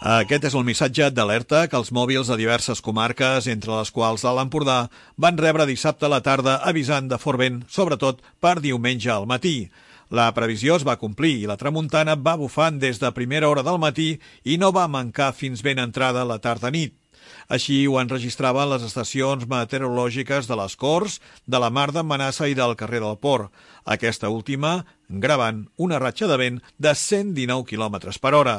Aquest és el missatge d'alerta que els mòbils de diverses comarques, entre les quals l'Alt Empordà, van rebre dissabte a la tarda avisant de fort vent, sobretot per diumenge al matí. La previsió es va complir i la tramuntana va bufant des de primera hora del matí i no va mancar fins ben entrada la tarda-nit. Així ho enregistraven les estacions meteorològiques de les Corts, de la Mar d'en Manassa i del carrer del Port. Aquesta última gravant una ratxa de vent de 119 km per hora.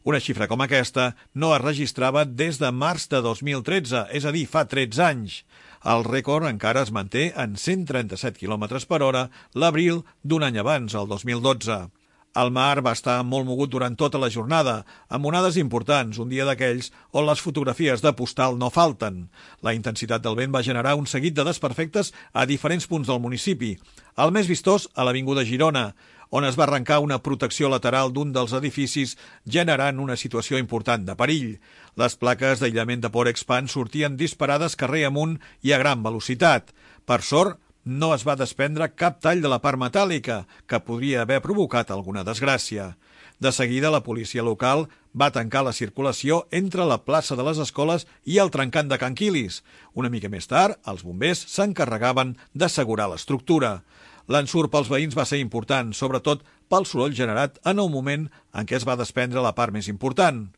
Una xifra com aquesta no es registrava des de març de 2013, és a dir, fa 13 anys. El rècord encara es manté en 137 km per hora l'abril d'un any abans, el 2012. El mar va estar molt mogut durant tota la jornada, amb onades importants, un dia d'aquells on les fotografies de postal no falten. La intensitat del vent va generar un seguit de desperfectes a diferents punts del municipi. El més vistós a l'Avinguda Girona, on es va arrencar una protecció lateral d'un dels edificis, generant una situació important de perill. Les plaques d'aïllament de Porexpan sortien disparades carrer amunt i a gran velocitat. Per sort, no es va desprendre cap tall de la part metàl·lica, que podria haver provocat alguna desgràcia. De seguida, la policia local va tancar la circulació entre la plaça de les Escoles i el trencant de Can Quilis. Una mica més tard, els bombers s'encarregaven d'assegurar l'estructura. L'ensurt pels veïns va ser important, sobretot pel soroll generat en el moment en què es va desprendre la part més important.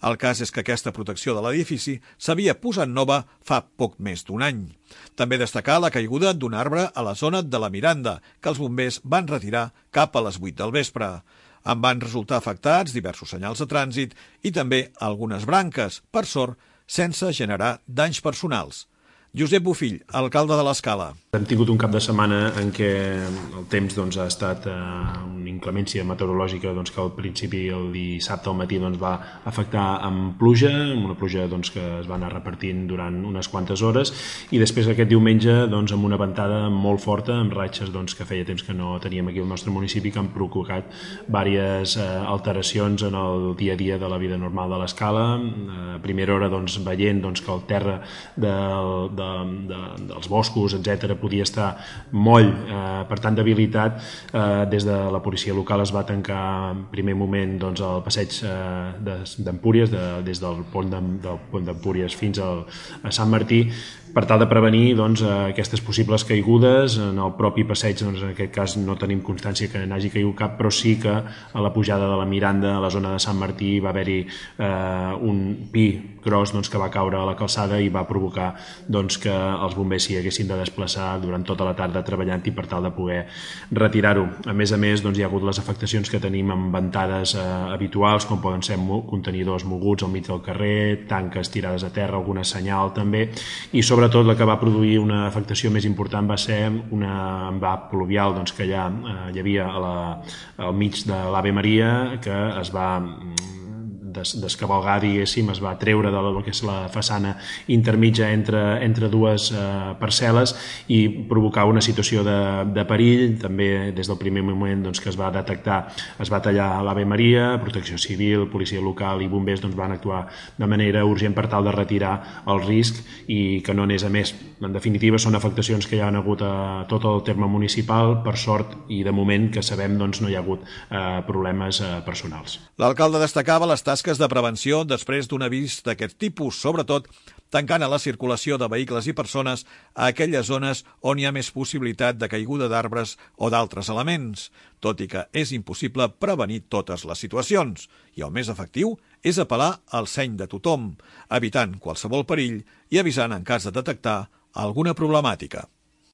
El cas és que aquesta protecció de l'edifici s'havia posat nova fa poc més d'un any. També destacar la caiguda d'un arbre a la zona de la Miranda, que els bombers van retirar cap a les 8 del vespre. En van resultar afectats diversos senyals de trànsit i també algunes branques, per sort, sense generar danys personals. Josep Bofill, alcalde de l'Escala. Hem tingut un cap de setmana en què el temps ha estat una inclemència meteorològica que al principi, el dissabte al matí, va afectar amb pluja, una pluja que es va anar repartint durant unes quantes hores, i després aquest diumenge amb una ventada molt forta, amb ratxes que feia temps que no teníem aquí al nostre municipi, que han provocat diverses alteracions en el dia a dia de la vida normal de l'Escala. A primera hora veient que el terra dels boscos, etc., podia estar moll per tant debilitat, des de la policia local es va tancar en primer moment el passeig d'Empúries, des del pont d'Empúries fins a Sant Martí, per tal de prevenir aquestes possibles caigudes. En el propi passeig, en aquest cas, no tenim constància que n'hagi caigut cap, però sí que a la pujada de la Miranda, a la zona de Sant Martí, va haver-hi un pi gros que va caure a la calçada i va provocar que els bombers s'hi haguessin de desplaçar durant tota la tarda treballant-hi per tal de poder retirar-ho. A més, hi ha hagut les afectacions que tenim amb ventades habituals, com poden ser contenidors moguts al mig del carrer, tanques tirades a terra, alguna senyal també, i sobretot la que va produir una afectació més important va ser una envà pluvial que ja hi havia al mig de l'Ave Maria, que es va descavalgar, diguéssim, es va treure del que és la façana intermitja entre dues parcel·les i provocar una situació de perill. També des del primer moment que es va detectar, es va tallar l'Ave Maria, Protecció Civil, policia local i bombers van actuar de manera urgent per tal de retirar el risc i que no anés a més. En definitiva, són afectacions que hi ha hagut a tot el terme municipal, per sort, i de moment que sabem no hi ha hagut problemes personals. L'alcalde destacava les tasques de prevenció després d'un avís d'aquest tipus, sobretot tancant a la circulació de vehicles i persones a aquelles zones on hi ha més possibilitat de caiguda d'arbres o d'altres elements, tot i que és impossible prevenir totes les situacions, i el més efectiu és apel·lar al seny de tothom, evitant qualsevol perill i avisant en cas de detectar alguna problemàtica.